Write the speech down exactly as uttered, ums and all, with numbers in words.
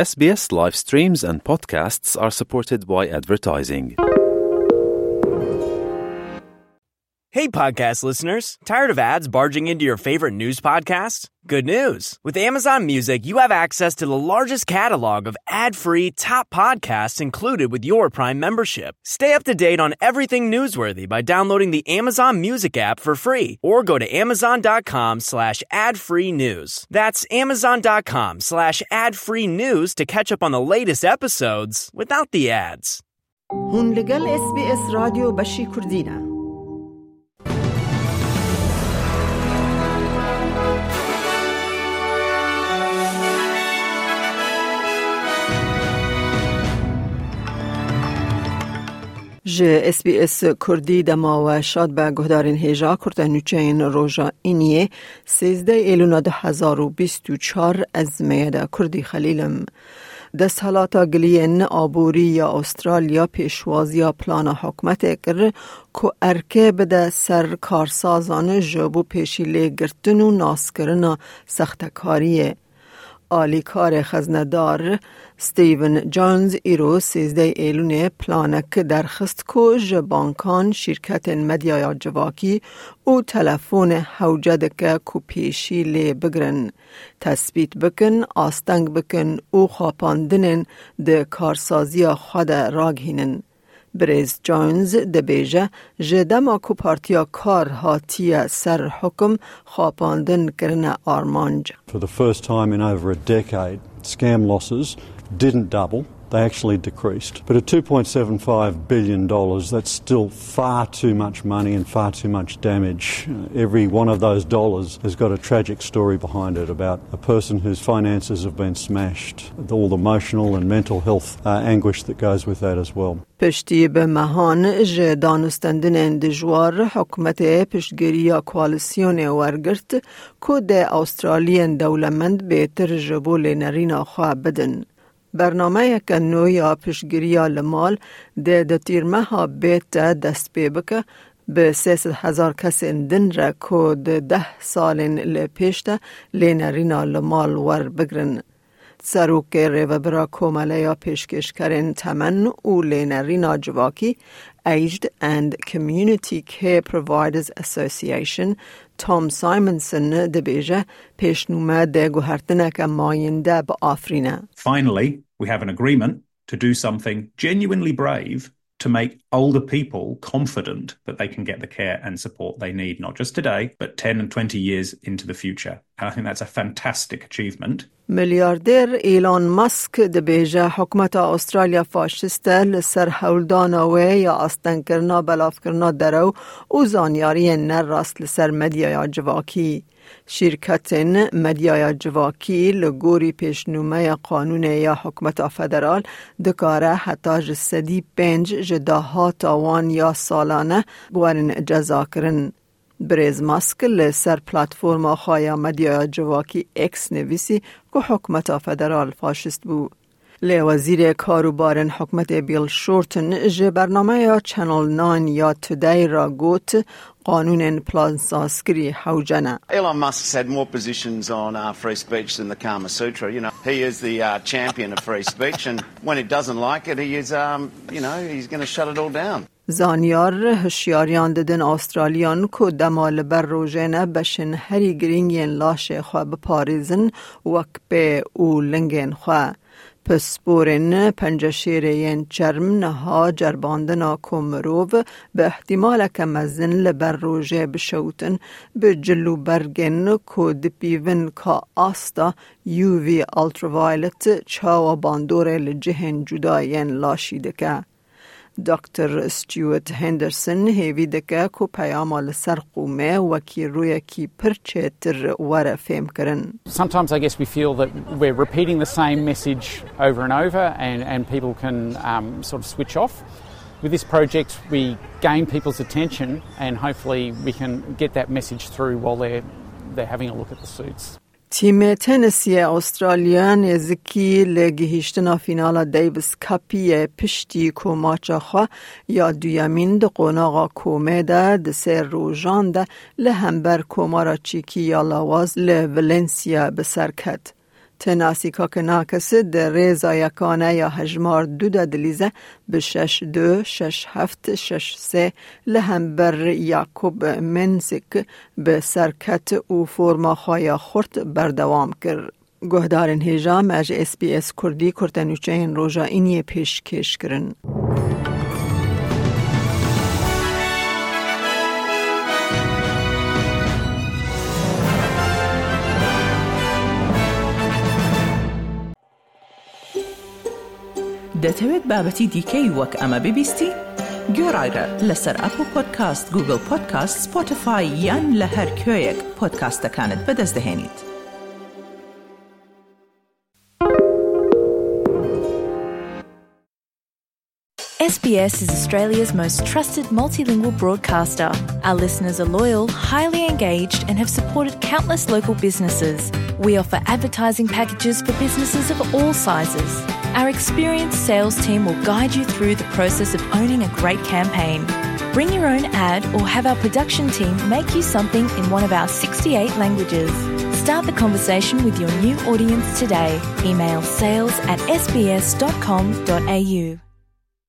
S B S live streams and podcasts are supported by advertising. Hey, podcast listeners. Tired of ads barging into your favorite news podcasts? Good news. With Amazon Music, you have access to the largest catalog of ad-free top podcasts included with your Prime membership. Stay up to date on everything newsworthy by downloading the Amazon Music app for free or go to amazon.com slash ad-free news. That's amazon.com slash ad-free news to catch up on the latest episodes without the ads. Hûn li gel S B S Radyo beşî Kurdî ne. Ji S B S Kurdî dema we şad be guhdarên hêja kurte nûçeyên roja Îniyê, sêzdeh Êlûna du hezar û bîst û çar, ez Meyeda Kurdî Xelîl im. Desthelata giliyên aborî ya Australya pêşwaziya plana hikûmetê kir ku erkê bide ser karsazan ji bo pêşî lê girtin û naskirina sextekariyê. Alîkarê xeznedar Stephen Jones îro sêzdeh Êlûnê planek derxist ku ji bankan, şîrketên medyaya civakî û telefonê hewce dike ku pêşî lê bigrin, tespît bikin, asteng bikin û xapandinên di karsaziya xwe de ragihînin. Birêz Jones dibêje, ji dema ku Partiya Kar hatiye ser hukum, xapandin kirine armanc. For the first time in over a decade, scam losses didn't double. They actually decreased. But at two point seven five billion dollars, that's still far too much money and far too much damage. Uh, every one of those dollars has got a tragic story behind it about a person whose finances have been smashed, all the emotional and mental health, uh, anguish that goes with that as well. Piştî bi mehan ji danûstendinên dijwar, hikûmetê piştgiriya koalîsyonê wergirt ku dê Australiyên dewlemend bêtir ji bo lênerîna xwe bidin. Bernameyeke nû ya piştgiriya li mal dê di tîrmeha bê te dest pê bike, bi sê sed hezar kesên din re ku di deh salên li pêş de lênerîna li mal werbigrin. Serokê Rêvebira Komeleya Pêşkêşkerên Temen û Lênerîna Civakî, Aged and Community Care Providers Association, Tom Simonson dibêje, pêşnûme dê guhertineke mayînde biafirîne. Finally, we have an agreement to do something genuinely brave to make older people confident that they can get the care and support they need, not just today, but ten and twenty years into the future. And I think that's a fantastic achievement. Milyarder Elon Musk dibêje, hikûmeta Australya faşist e, li ser hewldana wê ya astengkirina belavkirina derew û zanyariyên ne rast li ser medyaya civakî. Şîrketên medyaya civakî li gorî pêşnûmeya qanûnê ya hikûmeta federal dikare heta ji sedî pênc ji dahata wan ya salane werin cezakirin. Birêz Musk li ser platforma xwe ya medyaya civakî X nivîsî ku hikûmeta federal faşist bû. Lê wezîrê karûbarên hikûmetê Bill Shorten ji bernameya Channel Nine ya Today re got, qanûnên plansazkirî hewce ne. Elon Musk's had more positions on, uh, free speech than the Kama Sutra. You know, he is the, uh, champion of free speech, and when he doesn't like it, he is, um, you know, he's gonna shut it all down. Zanyar hişyariyan didin Australiyan ku dema li ber rojê ne beşên herî girîng yên laşê xwe biparêzin, wek pê û lingên xwe. Pisporên penceşêrê yên çerm niha ceribandina ku mirov bi ihtimaleke mezin li ber rojê bişewtin, bi cil û bergên ku dipîvin ka asta U V ultraviolet çawa bandorê li cihên cuda yên laşî dike. Doktor Stuart Henderson hêvî dike ku peyama li ser qûmê wekî rûyekî pir çêtir were fêmkirin. Sometimes I guess we feel that we're repeating the same message over and over and, and people can, um, sort of switch off. With this project, we gain people's attention and hopefully we can get that message through while they're, they're having a look at the suits. Tîmê tenisiyê Australya nêzikî li gihîştina fînala Davis Cup'ê ye piştî ku maça xwe ya duyemîn di qonaxa komê de di sê rojan de li hember Komara Çîkî ya Lawaz li Valencia bi ser ket. Ti nasîka kinakis di rêza yekane ya hejmar du de dilîze bi şeş du, şeş heft, şeş sê li hember Yakub Mensik bi serket û forma xwe ya xurt berdewam kir. Guhdarên hêja me ji S B S Kurdî kurtenûçeyên roja îniyê pêşkêş kirin. دەتەوێت بابەتی دیکەی وەک ئەمە ببیستی؟ گوێڕایرە لەسەر ئەپڵ پۆدکاست، گوگڵ پۆدکاست، سپۆتیفای یان لە هەر کوێیەک پۆدکاستەکانت بەدەست دەهێنیت. S B S is Australia's most trusted multilingual broadcaster. Our listeners are loyal, highly engaged, and have supported countless local businesses. We offer advertising packages for businesses of all sizes. Our experienced sales team will guide you through the process of owning a great campaign. Bring your own ad or have our production team make you something in one of our sixty-eight languages. Start the conversation with your new audience today. Email sales at S B S dot com dot A U.